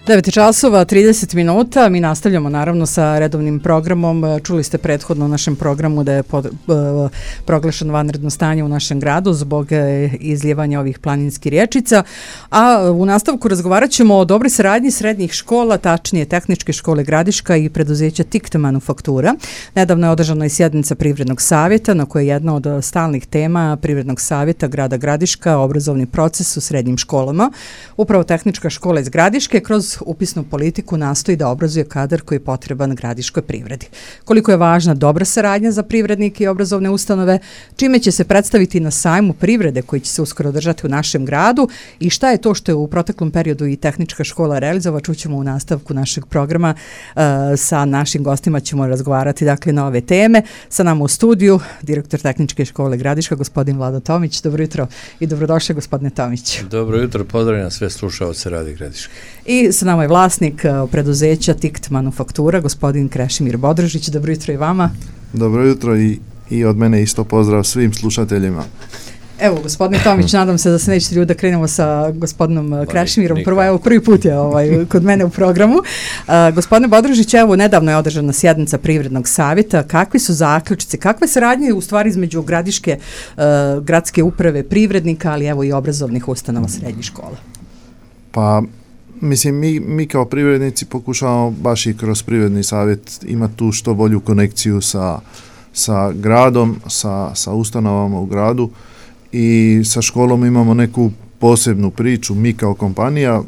9 časova, 30 minuta. Mi nastavljamo naravno sa redovnim programom. Čuli ste prethodno u našem programu da je proglašeno vanredno stanje u našem gradu zbog izljevanja ovih planinskih rječica. A u nastavku razgovarat ćemo o dobroj saradnji srednjih škola, tačnije Tehničke škole Gradiška i preduzeća TIKT Manufaktura. Nedavno je održana i sjednica Privrednog savjeta na kojoj je jedna od stalnih tema Privrednog savjeta grada Gradiška obrazovni proces u srednjim školama. Upravo Tehnička škola iz Gradiške kroz upisnu politiku nastoji da obrazuje kadar koji je potreban gradiškoj privredi. Koliko je važna dobra saradnja za privrednike i obrazovne ustanove, čime će se predstaviti na sajmu privrede koji će se uskoro održati u našem gradu i šta je to što je u proteklom periodu i Tehnička škola realizova, čućemo u nastavku našeg programa. Sa našim gostima ćemo razgovarati dakle na ove teme. Sa nama u studiju direktor Tehničke škole Gradiška, gospodin Vlado Tomić. Dobro jutro i dobrodošli, gospodine Tomić. Dobro jutro, pozdravljam sve slušaoce Radio Gradiške. I sa nama je vlasnik preduzeća TIKT Manufaktura, gospodin Krešimir Bodrožić. Dobro jutro i vama. Dobro jutro i od mene isto pozdrav svim slušateljima. Evo, gospodine Tomić, nadam se da se nećete ljudi da krenemo sa gospodinom Krešimirom. Prvi put je kod mene u programu. Gospodine Bodrožić, evo, nedavno je održana sjednica Privrednog savjeta. Kakvi su zaključci? Kakve saradnje u stvari između Gradiške gradske uprave privrednika, ali evo i obrazovnih ustanova srednjih škola? Pa, mislim, mi kao privrednici pokušavamo baš i kroz Privredni savjet imati tu što bolju konekciju sa gradom, sa ustanovama u gradu i sa školom imamo neku posebnu priču, mi kao kompanija,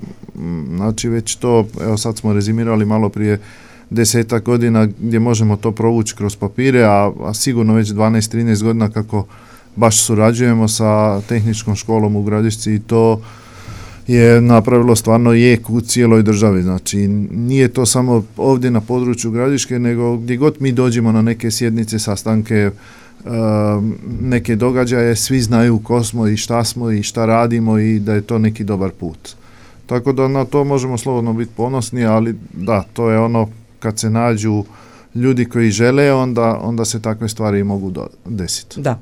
znači već to, evo sad smo rezimirali malo prije 10 godina gdje možemo to provući kroz papire, a sigurno već 12-13 godina kako baš surađujemo sa Tehničkom školom u Gradišci i to je napravilo stvarno jek u cijeloj državi. Znači nije to samo ovdje na području Gradiške, nego gdje god mi dođemo na neke sjednice, sastanke, neke događaje, svi znaju ko smo i šta smo i šta radimo i da je to neki dobar put. Tako da na to možemo slobodno biti ponosni, ali da, to je ono kad se nađu ljudi koji žele, onda se takve stvari mogu desiti. Da.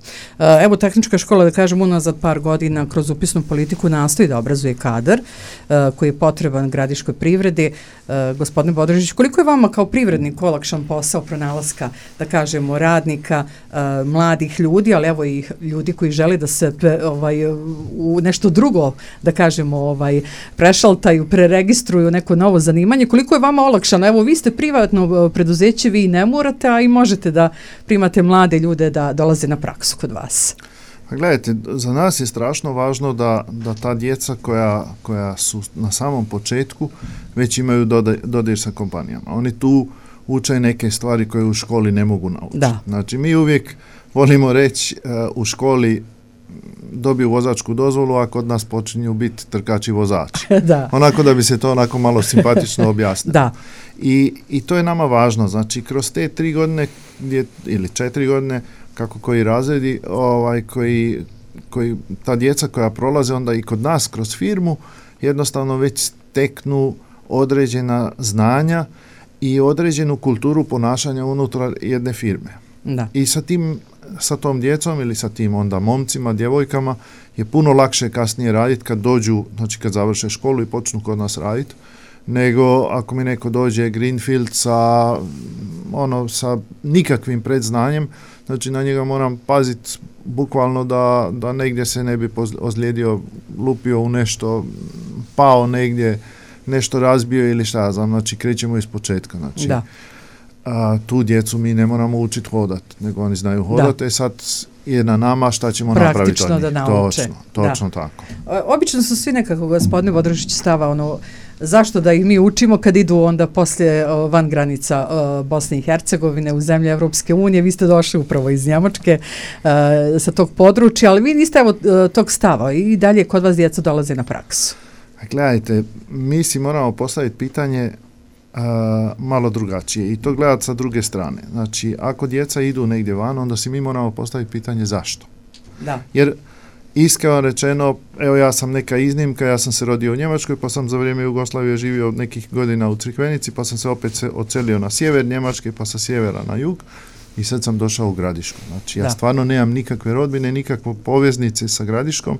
Evo, Tehnička škola, da kažem, unazad par godina kroz upisnu politiku nastoji da obrazuje kadar koji je potreban gradiškoj privredi. Gospodine Bodrožić, koliko je vama kao privrednik olakšan posao pronalaska, da kažemo, radnika, mladih ljudi, ali evo i ljudi koji žele da se u nešto drugo, da kažemo, prešaltaju, preregistruju neko novo zanimanje. Koliko je vama olakšano? Evo, vi ste privatno preduzeće, vi ne morate, a i možete da primate mlade ljude da dolaze na praksu kod vas. Pa gledajte, za nas je strašno važno da ta djeca koja su na samom početku već imaju dodir sa kompanijama. Oni tu uče neke stvari koje u školi ne mogu naučiti. Da. Znači, mi uvijek volimo reći u školi dobiju vozačku dozvolu, a kod nas počinju biti trkači vozači. Da. Onako da bi se to onako malo simpatično objasnilo. Da. I to je nama važno. Znači, kroz te 3 godine ili 4 godine, kako koji razredi, koji ta djeca koja prolaze onda i kod nas kroz firmu, jednostavno već steknu određena znanja i određenu kulturu ponašanja unutar jedne firme. Da. I sa tom djecom ili sa tim onda momcima, djevojkama je puno lakše kasnije raditi kad dođu, znači kad završe školu i počnu kod nas raditi, nego ako mi neko dođe greenfield sa nikakvim predznanjem, znači na njega moram paziti bukvalno da negdje se ne bi ozlijedio, lupio u nešto, pao negdje, nešto razbio ili šta ja znam, znači krećemo iz početka. Znači, tu djecu mi ne moramo učiti hodati, nego oni znaju hodati, sad je na nama šta ćemo napraviti od njih. Da nauče. Točno tako. Obično su svi nekako, gospodine Bodrožić, stava zašto da ih mi učimo kad idu onda poslije van granica Bosne i Hercegovine u zemlje Evropske unije. Vi ste došli upravo iz Njemačke sa tog područja, ali vi niste tog stava i dalje kod vas djeca dolaze na praksu. Gledajte, mi si moramo postaviti pitanje malo drugačije i to gledati sa druge strane. Znači, ako djeca idu negdje van, onda si mi moramo postaviti pitanje zašto. Da. Jer iskreno rečeno, evo ja sam neka iznimka, ja sam se rodio u Njemačkoj, pa sam za vrijeme Jugoslavije živio nekih godina u Crikvenici, pa sam se opet odselio na sjever Njemačke, pa sa sjevera na jug i sad sam došao u Gradišku. Znači, ja stvarno nemam nikakve rodbine, nikakve poveznice sa Gradiškom.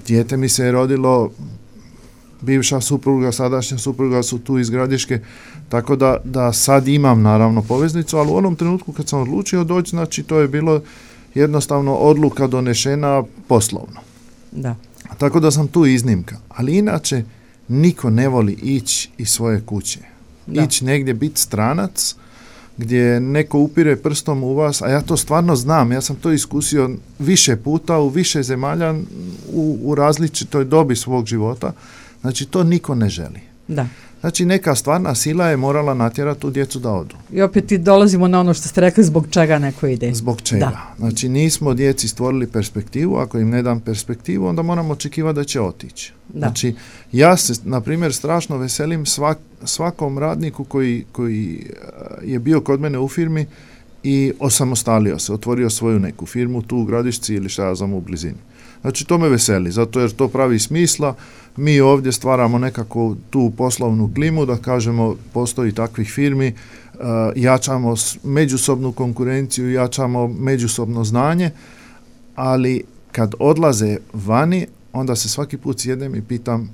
Dijete mi se je rodilo bivša supruga, sadašnja supruga su tu iz Gradiške, tako da sad imam naravno poveznicu, ali u onom trenutku kad sam odlučio doći, znači to je bilo jednostavno odluka donešena poslovno. Da. Tako da sam tu iznimka. Ali inače, niko ne voli ići iz svoje kuće. Ići negdje, biti stranac, gdje neko upire prstom u vas, a ja to stvarno znam, ja sam to iskusio više puta, u više zemalja, u različitoj dobi svog života. Znači, to niko ne želi. Da. Znači, neka stvarna sila je morala natjerati tu djecu da odu. I opet i dolazimo na ono što ste rekli, zbog čega neko ide. Zbog čega. Da. Znači, nismo djeci stvorili perspektivu, ako im ne dam perspektivu, onda moramo očekivati da će otići. Da. Znači, ja se, na primjer, strašno veselim svakom radniku koji je bio kod mene u firmi i osamostalio se, otvorio svoju neku firmu tu u Gradišci ili šta ja znam u blizini. Znači, to me veseli, zato jer to pravi smisla. Mi ovdje stvaramo nekako tu poslovnu klimu, da kažemo, postoji takvih firmi, jačamo međusobnu konkurenciju, jačamo međusobno znanje, ali kad odlaze vani, onda se svaki put sjednem i pitam,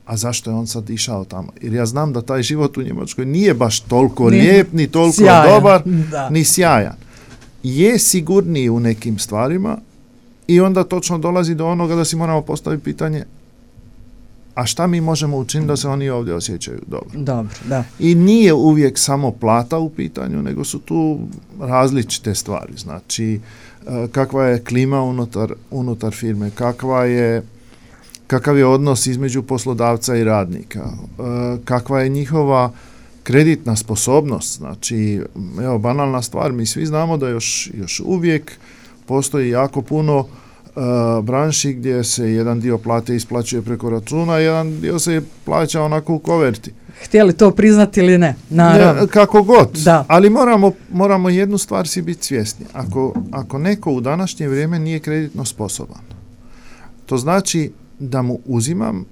a zašto je on sad išao tamo? Jer ja znam da taj život u Njemačkoj nije baš toliko lijep, ni toliko sjajan, dobar, ni sjajan. Je sigurniji u nekim stvarima i onda točno dolazi do onoga da si moramo postaviti pitanje, a šta mi možemo učiniti da se oni ovdje osjećaju dobro? Dobro, da. I nije uvijek samo plata u pitanju, nego su tu različite stvari. Znači, kakva je klima unutar firme, kakav je odnos između poslodavca i radnika, kakva je njihova kreditna sposobnost. Znači, evo, banalna stvar, mi svi znamo da još uvijek postoji jako puno branši gdje se jedan dio plate isplaćuje preko računa, jedan dio se plaća onako u koverti. Htjeli to priznati ili ne? Naravno. Kako god. Da. Ali moramo jednu stvar si biti svjesni. Ako neko u današnje vrijeme nije kreditno sposoban, to znači da mu uzimam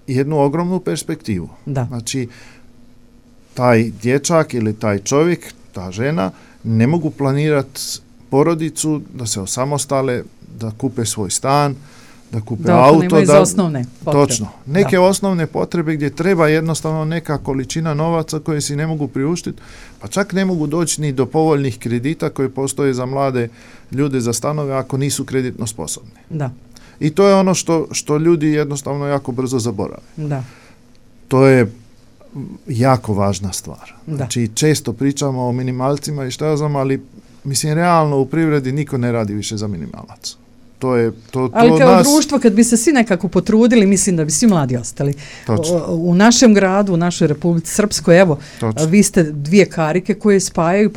jednu ogromnu perspektivu. Da. Znači, taj dječak ili taj čovjek, ta žena, ne mogu planirati porodicu, da se osamostale, da kupe svoj stan, da kupe auto. Da osnovne potrebe. Točno. Neke osnovne potrebe gdje treba jednostavno neka količina novaca koje si ne mogu priuštiti, pa čak ne mogu doći ni do povoljnih kredita koje postoje za mlade ljude za stanove ako nisu kreditno sposobni. Da. I to je ono što ljudi jednostavno jako brzo zaborave. Da. To je jako važna stvar. Da. Znači, često pričamo o minimalcima i šta ja znam, ali mislim, realno u privredi niko ne radi više za minimalac. Ali kao društvo, kad bi se svi nekako potrudili, mislim da bi svi mladi ostali. U našem gradu, u našoj Republici Srpskoj, evo, vi ste dvije karike koje spajaju,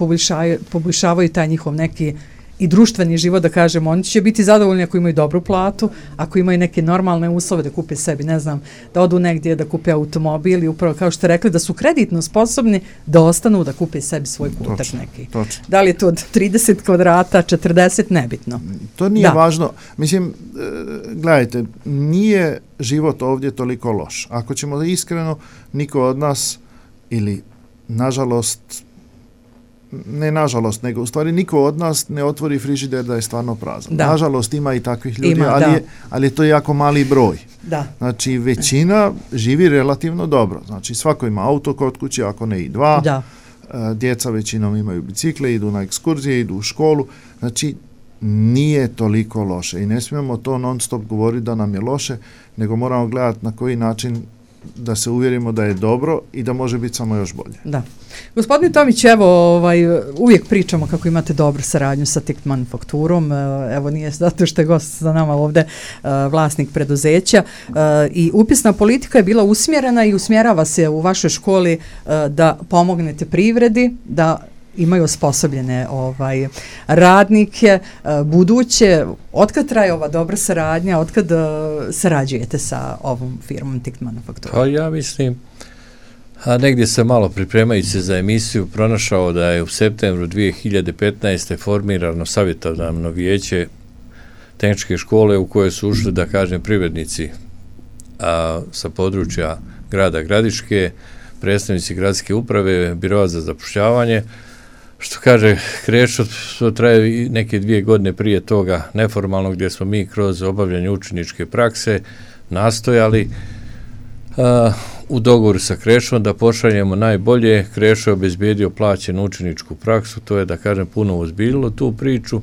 poboljšavaju taj njihov neki i društveni život, da kažemo, oni će biti zadovoljni ako imaju dobru platu, ako imaju neke normalne uslove da kupe sebi, ne znam, da odu negdje, da kupe automobil i upravo kao što ste rekli, da su kreditno sposobni da ostanu, da kupe sebi svoj kutak neki. Točno. Da li je to od 30 kvadrata, 40, nebitno. To nije važno. Mislim, gledajte, nije život ovdje toliko loš. Ako ćemo iskreno, niko od nas, ili nažalost, nego u stvari niko od nas ne otvori frižider da je stvarno prazan. Da. Nažalost, ima i takvih ljudi, ali je to jako mali broj. Da. Znači, većina živi relativno dobro. Znači, svako ima auto kod kuće, ako ne i dva. Da. Djeca većinom imaju bicikle, idu na ekskurzije, idu u školu. Znači, nije toliko loše i ne smijemo to non stop govoriti da nam je loše, nego moramo gledati na koji način da se uvjerimo da je dobro i da može biti samo još bolje. Da. Gospodin Tomić, evo, uvijek pričamo kako imate dobru saradnju sa TICT manufakturom, evo nije zato što je gost za nama ovdje vlasnik preduzeća i upisna politika je bila usmjerena i usmjerava se u vašoj školi da pomognete privredi, da imaju osposobljene radnike buduće. Otkad traje ova dobra saradnja, otkad sarađujete sa ovom firmom TICT manufakturom? Pa ja mislim, a negdje sam malo pripremajući se za emisiju pronašao da je u septembru 2015. formirano savjetodavno vijeće tehničke škole u koje su ušli, da kažem, privrednici sa područja grada Gradiške, predstavnici gradske uprave, biroa za zapošljavanje. Što kaže, kreću, to traje neke 2 godine prije toga neformalno, gdje smo mi kroz obavljanje učeničke prakse nastojali u dogovoru sa Krešom da pošaljemo najbolje. Krešo je obezbijedio plaćenu učeničku praksu, to je, da kažem, puno ozbiljilo tu priču.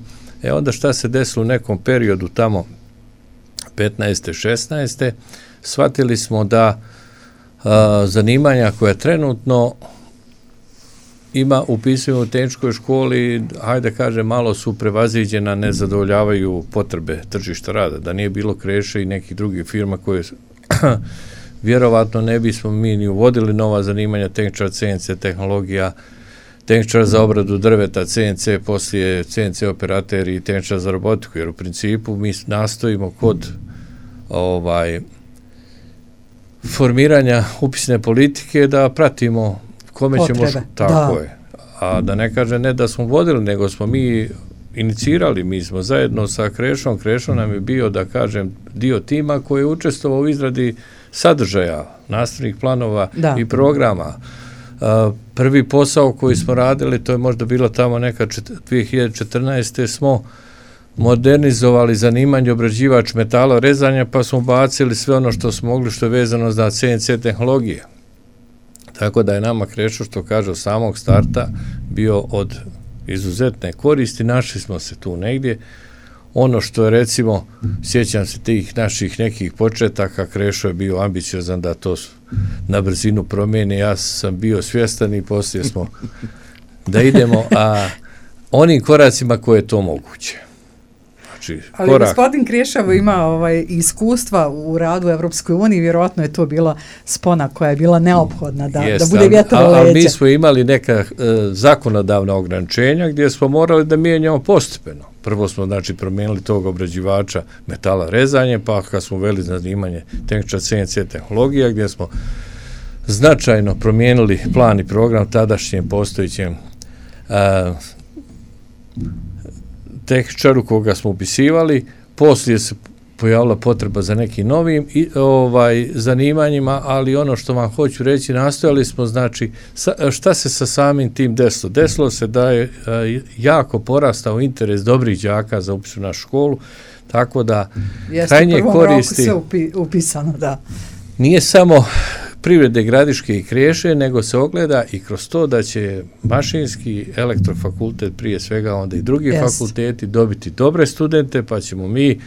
Onda šta se desilo u nekom periodu tamo 15. 16. shvatili smo da zanimanja koja trenutno ima upisuju u tehničkoj školi, hajde kažem, malo su prevaziđena, ne zadovoljavaju potrebe tržišta rada. Da nije bilo Kreše i nekih drugih firma koje vjerovatno ne bismo mi ni uvodili nova zanimanja, tehničar CNC tehnologija, tehničar za obradu drveta, CNC, poslije CNC operateri i tehničar za robotiku, jer u principu mi nastojimo kod formiranja upisne politike da pratimo kome potrebe. Ćemo... Tako je. A da ne kaže ne da smo vodili, nego smo mi inicirali, mi smo zajedno sa Krešom. Krešo nam je bio, da kažem, dio tima koji je učestvovao u izradi sadržaja, nastavnih planova i programa. Prvi posao koji smo radili, to je možda bilo tamo neka 2014. smo modernizovali zanimanje obrađivač metala rezanja, pa smo bacili sve ono što smo mogli, što je vezano za CNC tehnologije. Tako da je nama Krešo, što kaže, od samog starta bio od izuzetne koristi. Našli smo se tu negdje. Ono što je, recimo, sjećam se tih naših nekih početaka, Krešo je bio ambiciozan da to na brzinu promijeni. Ja sam bio svjestan i poslije smo da idemo onim koracima koje je to moguće. Ali gospodin Krešavo ima iskustva u radu u Evropskoj uniji, vjerojatno je to bila spona koja je bila neophodna da bude vjetrovo leđa. Ali mi smo imali neka zakonodavna ograničenja gdje smo morali da mijenjamo postepeno. Prvo smo, znači, promijenili tog obrađivača metala rezanje, pa kad smo uveli zanimanje tehničar CNC tehnologija, gdje smo značajno promijenili plan i program tadašnjem postojićem tehničaru koga smo upisivali. Poslije se pojavila potreba za nekim novim zanimanjima, ali ono što vam hoću reći, nastojali smo, znači, šta se sa samim tim desilo? Desilo se da je jako porastao interes dobrih đaka za upis u našu školu, tako da krajnje koristi... Jeste u prvom roku sve upisano, da. Nije samo Privrede, Gradiške i Kreše, nego se ogleda i kroz to da će mašinski, elektrofakultet prije svega, onda i drugi fakulteti dobiti dobre studente, pa ćemo mi,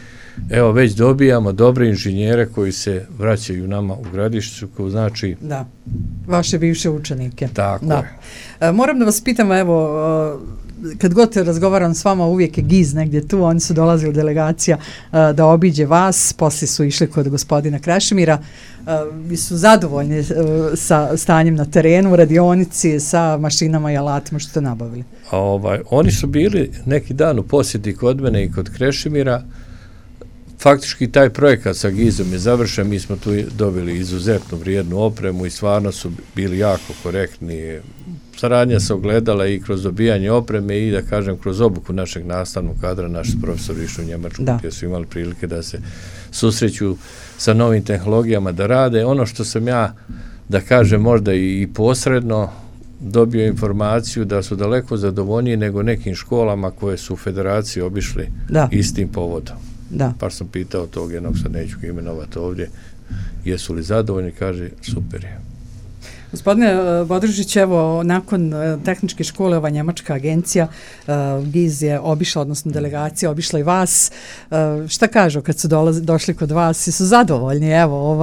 evo, već dobijamo dobre inženjere koji se vraćaju nama u Gradišću, koji znači... Da, vaše bivše učenike. Tako je. Moram da vas pitam, evo, kad god razgovaram s vama, uvijek je GIZ negdje tu, oni su dolazili delegacija da obiđe vas, poslije su išli kod gospodina Krešimira. Vi su zadovoljni sa stanjem na terenu, u radionici, sa mašinama i alatima što ste nabavili? Oni su bili neki dan u posjeti kod mene i kod Krešimira. Faktički taj projekat sa GIZ-om je završen, mi smo tu dobili izuzetnu vrijednu opremu i stvarno su bili jako korektni. Saradnja se ogledala i kroz dobijanje opreme i, da kažem, kroz obuku našeg nastavnog kadra. Naši profesori išli u Njemačku gdje su imali prilike da se susreću sa novim tehnologijama, da rade. Ono što sam ja, da kažem, možda i posredno dobio informaciju da su daleko zadovoljniji nego nekim školama koje su u federaciji obišli istim povodom. Pa sam pitao tog jednog, sad neću ga imenovati ovdje, jesu li zadovoljni, kaže super je. Gospodine Bodružić, evo, nakon tehničke škole, ova njemačka agencija GIZ je obišla, odnosno delegacija obišla i vas. Šta kažu kad su došli kod vas? Su zadovoljni? Evo,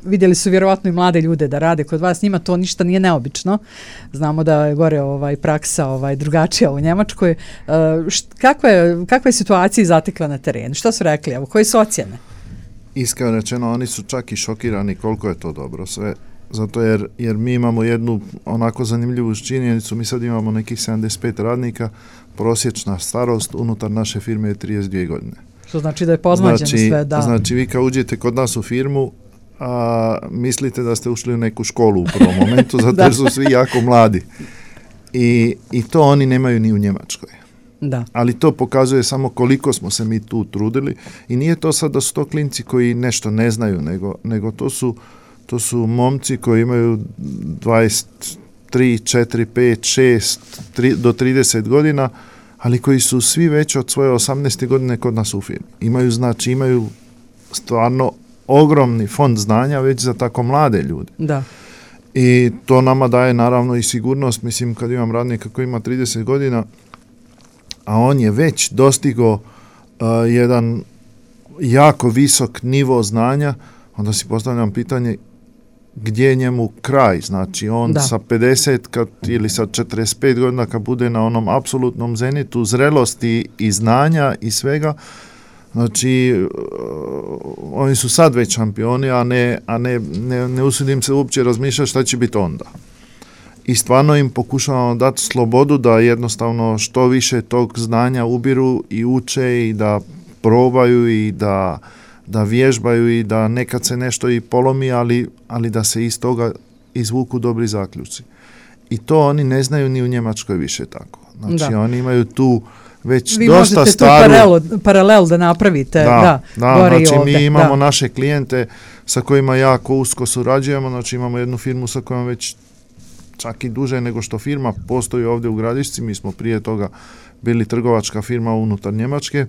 vidjeli su vjerovatno i mlade ljude da rade kod vas, njima to ništa nije neobično. Znamo da je gore praksa drugačija u Njemačkoj. Kakva je situacija zatekla na terenu? Što su rekli? Evo, koje su ocjene? Iskreno rečeno, oni su čak i šokirani koliko je to dobro sve. Zato jer mi imamo jednu onako zanimljivu činjenicu, mi sad imamo nekih 75 radnika, prosječna starost unutar naše firme je 32 godine. Što znači da je pozmađeno sve, da. Znači vi kad uđete kod nas u firmu, mislite da ste ušli u neku školu u prvom momentu, zato jer su svi jako mladi. I to oni nemaju ni u Njemačkoj. Da. Ali to pokazuje samo koliko smo se mi tu trudili i nije to sad da su to klinci koji nešto ne znaju, nego to su momci koji imaju 23, 4, 5, 6 do 30 godina, ali koji su svi već od svoje 18. godine kod nas u firmi. Imaju stvarno ogromni fond znanja već za tako mlade ljude. Da. I to nama daje naravno i sigurnost, mislim kad imam radnika koji ima 30 godina, a on je već dostigao jedan jako visok nivo znanja, onda si postavljam pitanje gdje je njemu kraj, znači on sa 50 ili sa 45 godina kad bude na onom apsolutnom zenitu zrelosti i znanja i svega, znači oni su sad već šampioni, a ne usudim se uopće razmišljati šta će biti onda. I stvarno im pokušavamo dati slobodu da jednostavno što više tog znanja ubiru i uče i da probaju i da vježbaju i da nekad se nešto i polomi, ali da se iz toga izvuku dobri zaključci. I to oni ne znaju ni u Njemačkoj više tako. Znači oni imaju tu već vi dosta staru... Vi možete tu paralel da napravite. Da, znači mi imamo naše klijente sa kojima jako usko surađujemo, znači imamo jednu firmu sa kojom već čak i duže nego što firma postoji ovdje u Gradišci, mi smo prije toga bili trgovačka firma unutar Njemačke,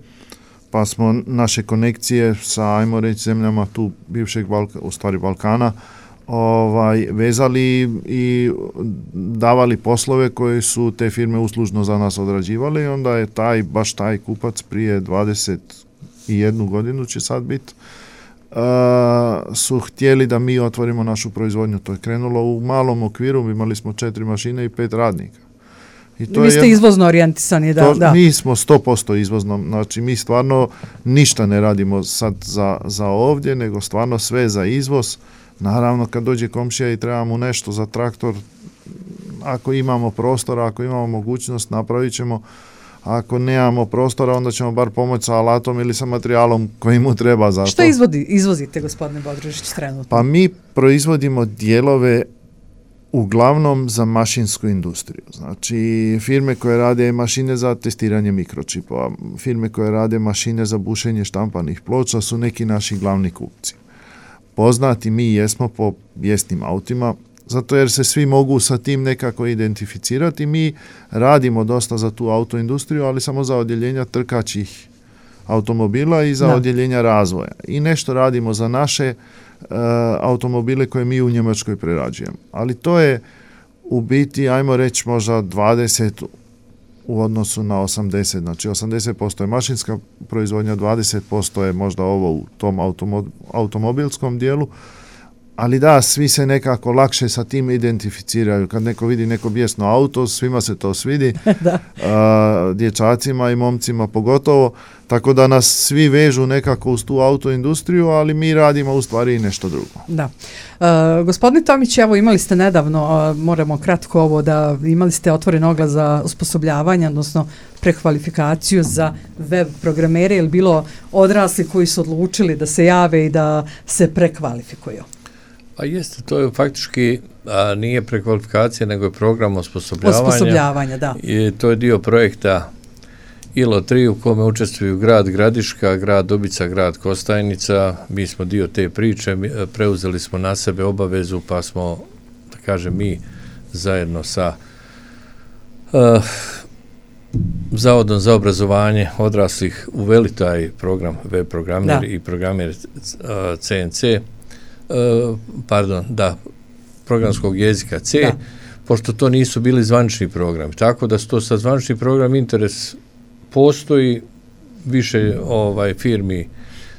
pa smo naše konekcije sa, ajmo reći, zemljama tu bivšeg Balkana vezali i davali poslove koje su te firme uslužno za nas odrađivali i onda je baš taj kupac prije 21 godinu će sad biti su htjeli da mi otvorimo našu proizvodnju. To je krenulo u malom okviru, imali smo 4 mašine i 5 radnika. I to vi ste izvozno orijentisani, da. Mi smo 100% izvozno, znači mi stvarno ništa ne radimo sad za ovdje, nego stvarno sve za izvoz. Naravno kad dođe komšija i treba mu nešto za traktor, ako imamo prostora, ako imamo mogućnost, napravit ćemo. Ako nemamo prostora, onda ćemo bar pomoći sa alatom ili sa materijalom koji mu treba za to. Što izvozite, gospodine Bodrožić, trenutno? Pa mi proizvodimo dijelove uglavnom za mašinsku industriju. Znači, firme koje rade mašine za testiranje mikročipova, firme koje rade mašine za bušenje štampanih ploča su neki naši glavni kupci. Poznati mi jesmo po bijesnim autima, zato jer se svi mogu sa tim nekako identificirati. Mi radimo dosta za tu autoindustriju, ali samo za odjeljenja trkačih automobila i za odjeljenja razvoja. I nešto radimo za naše automobile koje mi u Njemačkoj prerađujemo. Ali to je u biti, ajmo reći, možda 20 u odnosu na 80. Znači 80% je mašinska proizvodnja, 20% je možda ovo u tom automobilskom dijelu. Ali da, svi se nekako lakše sa tim identificiraju. Kad neko vidi neko bijesno auto, svima se to svidi, dječacima i momcima pogotovo, tako da nas svi vežu nekako uz tu autoindustriju, ali mi radimo u stvari i nešto drugo. Da. Gospodine Tomić, evo imali ste nedavno, moramo kratko ovo, da imali ste otvoren oglas za osposobljavanje, odnosno prekvalifikaciju za web programere, je li bilo odrasli koji su odlučili da se jave i da se prekvalifikuju? Pa jeste, to je faktički nije prekvalifikacija, nego je program osposobljavanja. Osposobljavanja, da. I to je dio projekta ILO 3 u kome učestvuju grad Gradiška, grad Dubica, grad Kostajnica. Mi smo dio te priče, preuzeli smo na sebe obavezu, pa smo, da kažem, mi zajedno sa Zavodom za obrazovanje odraslih uveli taj program web programer i programer CNC, programskog jezika C, pošto to nisu bili zvanični programi. Tako da su to sad zvanični program, interes postoji, više firmi,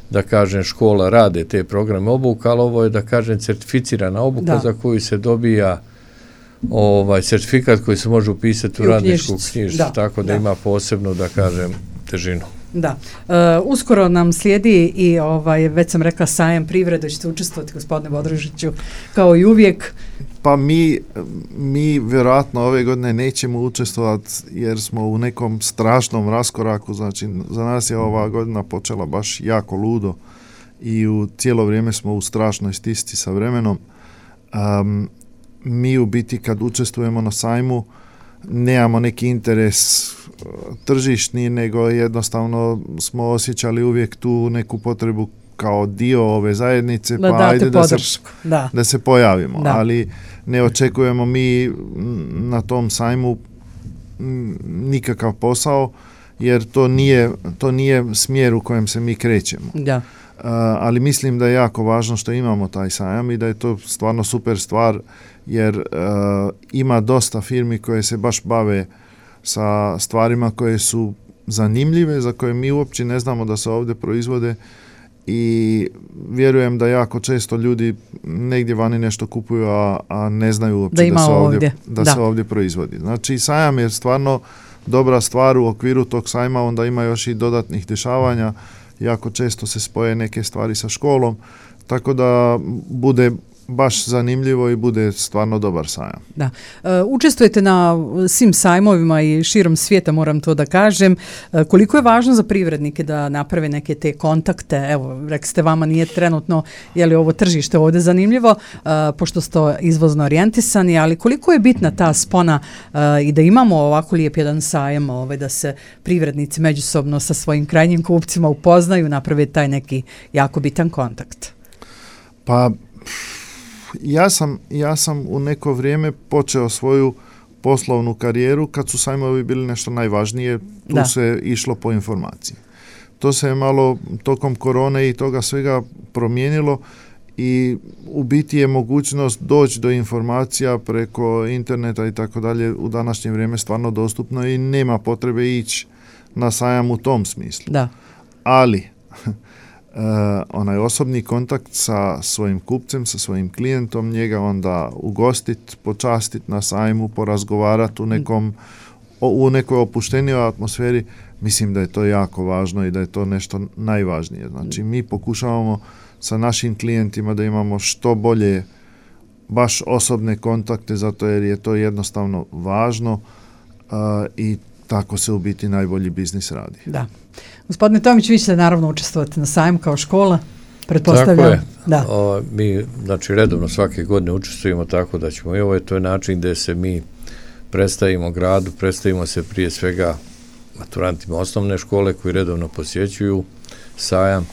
da kažem, škola rade te programe obuka, ali ovo je, da kažem, certificirana obuka za koju se dobija certifikat koji se može upisati u radničku knjižicu, tako da ima posebno, da kažem, težinu. Da. Uskoro nam slijedi i već sam rekla sajam privrede, ćete učestvovati, gospodine Bodrožiću, kao i uvijek. Pa mi vjerojatno ove godine nećemo učestvovati jer smo u nekom strašnom raskoraku, znači za nas je ova godina počela baš jako ludo i u cijelo vrijeme smo u strašnoj stisci sa vremenom. Mi u biti kad učestvujemo na sajmu nemamo neki interes tržišni, nego jednostavno smo osjećali uvijek tu neku potrebu kao dio ove zajednice, pa ajde da se pojavimo. Da. Ali ne očekujemo mi na tom sajmu nikakav posao, jer to nije smjer u kojem se mi krećemo. Da. ali mislim da je jako važno što imamo taj sajam i da je to stvarno super stvar, jer ima dosta firmi koje se baš bave sa stvarima koje su zanimljive, za koje mi uopće ne znamo da se ovdje proizvode, i vjerujem da jako često ljudi negdje vani nešto kupuju, a ne znaju uopće da se ovdje proizvodi. Znači, sajam je stvarno dobra stvar. U okviru tog sajma onda ima još i dodatnih dešavanja. Jako često se spoje neke stvari sa školom, tako da bude baš zanimljivo i bude stvarno dobar sajam. Da. Učestvujete na svim sajmovima i širom svijeta, moram to da kažem. Koliko je važno za privrednike da naprave neke te kontakte? Evo, rekli ste, vama nije trenutno ovo tržište ovdje zanimljivo, pošto ste izvozno orijentisani, ali koliko je bitna ta spona i da imamo ovako lijep jedan sajam, da se privrednici međusobno sa svojim krajnjim kupcima upoznaju, naprave taj neki jako bitan kontakt? Pa, ja sam u neko vrijeme počeo svoju poslovnu karijeru kad su sajmovi bili nešto najvažnije, tu se išlo po informaciji. To se je malo tokom korone i toga svega promijenilo i u biti je mogućnost doći do informacija preko interneta i tako dalje u današnje vrijeme stvarno dostupno i nema potrebe ići na sajam u tom smislu. Da. Ali onaj osobni kontakt sa svojim kupcem, sa svojim klijentom, njega onda ugostit, počastit na sajmu, porazgovarati u nekoj opuštenijoj atmosferi, mislim da je to jako važno i da je to nešto najvažnije. Znači, mi pokušavamo sa našim klijentima da imamo što bolje baš osobne kontakte, zato jer je to jednostavno važno i tako se u biti najbolji biznis radi. Da. Gospodine Tomić, vi ćete naravno učestvovati na sajmu kao škola, pretpostavljam. Tako je. Da. Mi, redovno svake godine učestvujemo, tako da ćemo i ovo je to je način gdje se mi predstavimo gradu, predstavimo se prije svega maturantima osnovne škole koji redovno posjećuju sajam.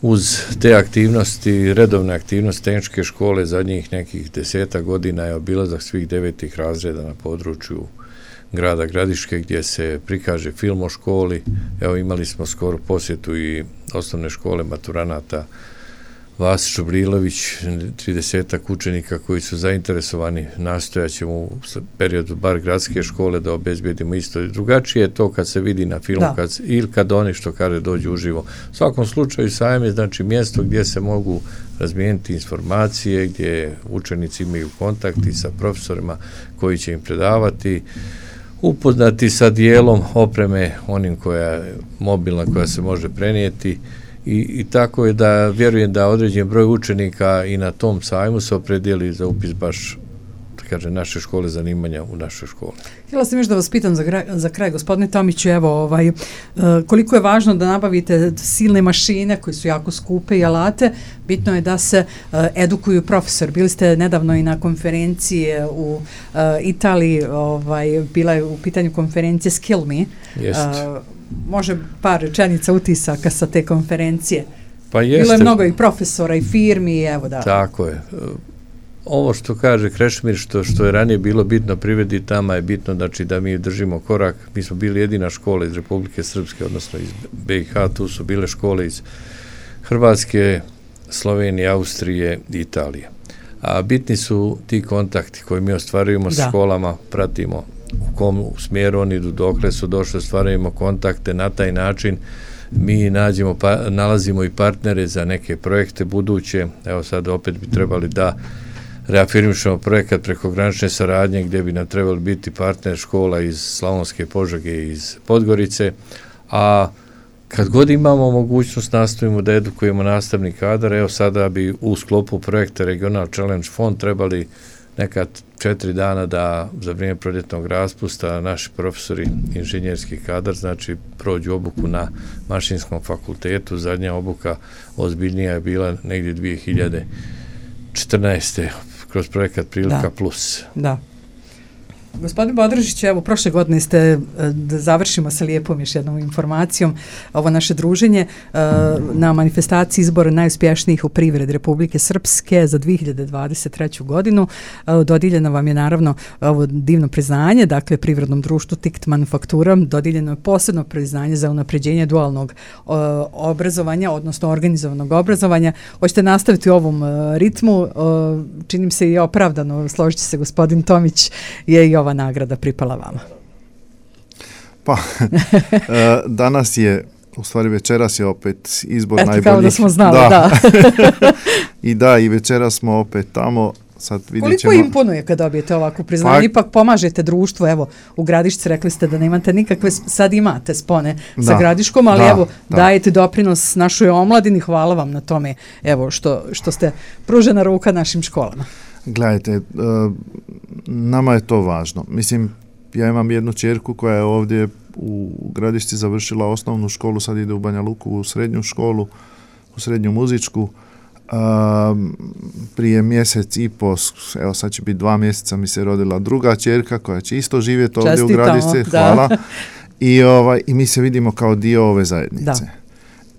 Uz te aktivnosti, redovne aktivnosti tehničke škole zadnjih nekih 10 godina je obilazak svih 9. razreda na području grada Gradiške gdje se prikaže film o školi. Evo, imali smo skoro posjetu i osnovne škole maturanata Vasić Obrilović, 30 učenika koji su zainteresovani. Nastojat ćemo u periodu bar gradske škole da obezbedimo isto. Drugačije je to kad se vidi na filmu ili kad oni što kaže dođu uživo. U svakom slučaju sajam je znači mjesto gdje se mogu razmijeniti informacije, gdje učenici imaju kontakti sa profesorima koji će im predavati, upoznati sa dijelom opreme onim koja je mobilna, koja se može prenijeti i tako je da vjerujem da određen broj učenika i na tom sajmu se opredijeli za upis baš naše škole zanimanja u našoj školi. Htjela sam još da vas pitam za kraj, gospodine Tomiću, koliko je važno da nabavite silne mašine koje su jako skupe i alate, bitno je da se edukuju profesor. Bili ste nedavno i na konferenciji u Italiji, bila je u pitanju konferencije Skill Me. Može par rečenica utisaka sa te konferencije. Pa jeste. Bilo je mnogo i profesora i firmi, evo da. Tako je. Ovo što kaže Krešimir, što je ranije bilo bitno privredi, tamo je bitno znači, da mi držimo korak. Mi smo bili jedina škola iz Republike Srpske, odnosno iz BiH, tu su bile škole iz Hrvatske, Slovenije, Austrije i Italije. A bitni su ti kontakti koje mi ostvarujemo s školama, pratimo u kom smjeru oni idu, dokle su došli, ostvarujemo kontakte, na taj način mi nalazimo i partnere za neke projekte buduće. Evo sad opet bi trebali da reafirmišemo projekat prekogranične saradnje gdje bi nam trebali biti partner škola iz Slavonske Požege i iz Podgorice, a kad god imamo mogućnost nastojimo da edukujemo nastavni kadar. Evo sada bi u sklopu projekta Regional Challenge Fond trebali neka 4 dana da za vrijeme proljetnog raspusta naši profesori, inženjerski kadar, znači prođu obuku na Mašinskom fakultetu. Zadnja obuka ozbiljnija je bila negdje 2014. kroz projekat Prilika Plus. Da. Gospodin Bodrožić, evo, prošle godine ste, da završimo sa lijepom još jednom informacijom, ovo naše druženje na manifestaciji izbora najuspješnijih u privredi Republike Srpske za 2023. godinu. Dodijeljeno vam je naravno ovo divno priznanje, dakle privrednom društvu Tikt Manufaktura, dodijeljeno je posebno priznanje za unapređenje dualnog obrazovanja, odnosno organizovanog obrazovanja. Hoćete nastaviti u ovom ritmu, činim se i opravdano, složiti se gospodin Tomić, je i ova nagrada pripala vama. Pa, danas je, u stvari večeras je opet izbor najboljih. Kao da smo znali, da. I da, i večeras smo opet tamo. Sad vidjet ćemo. Koliko imponuje kad dobijete ovakvu priznanje? Ipak pomažete društvu, evo, u Gradišci rekli ste da nemate nikakve, sad imate spone sa Gradiškom, ali evo, dajete doprinos našoj omladini, hvala vam na tome, evo, što ste pružena ruka našim školama. Gledajte, nama je to važno. Mislim, ja imam jednu ćerku koja je ovdje u Gradišci završila osnovnu školu, sad ide u Banja Luku u srednju školu, u srednju muzičku. Prije mjesec i po, evo sad će biti 2 mjeseca, mi se rodila druga ćerka koja će isto živjeti ovdje u Gradišci. Hvala. I mi se vidimo kao dio ove zajednice. Da.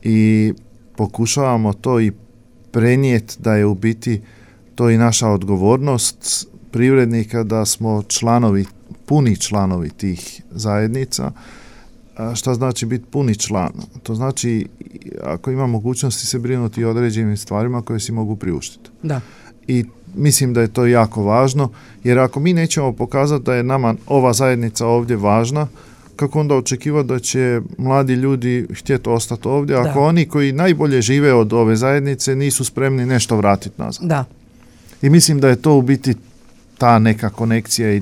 I pokušavamo to i prenijeti da je u biti to i naša odgovornost privrednika da smo puni članovi tih zajednica. Šta znači biti puni član? To znači ako ima mogućnosti se brinuti o određenim stvarima koje si mogu priuštiti. Da. I mislim da je to jako važno, jer ako mi nećemo pokazati da je nama ova zajednica ovdje važna, kako onda očekivati da će mladi ljudi htjeti ostati ovdje, ako oni koji najbolje žive od ove zajednice nisu spremni nešto vratiti nazad. Da. I mislim da je to u biti ta neka konekcija i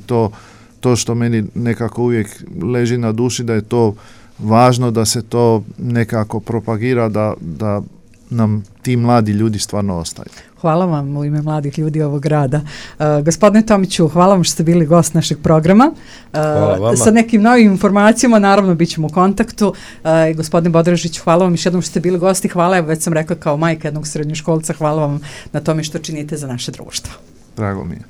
to što meni nekako uvijek leži na duši, da je to važno da se to nekako propagira, da nam ti mladi ljudi stvarno ostaju. Hvala vam u ime mladih ljudi ovog grada. Gospodine Tomiću, hvala vam što ste bili gost našeg programa. Sa nekim novim informacijama, naravno, bit ćemo u kontaktu. Gospodine Bodrožić, hvala vam još jednom što ste bili gosti. Hvala, evo, već sam rekla kao majka jednog srednjoškolca, hvala vam na tome što činite za naše društvo. Drago mi je.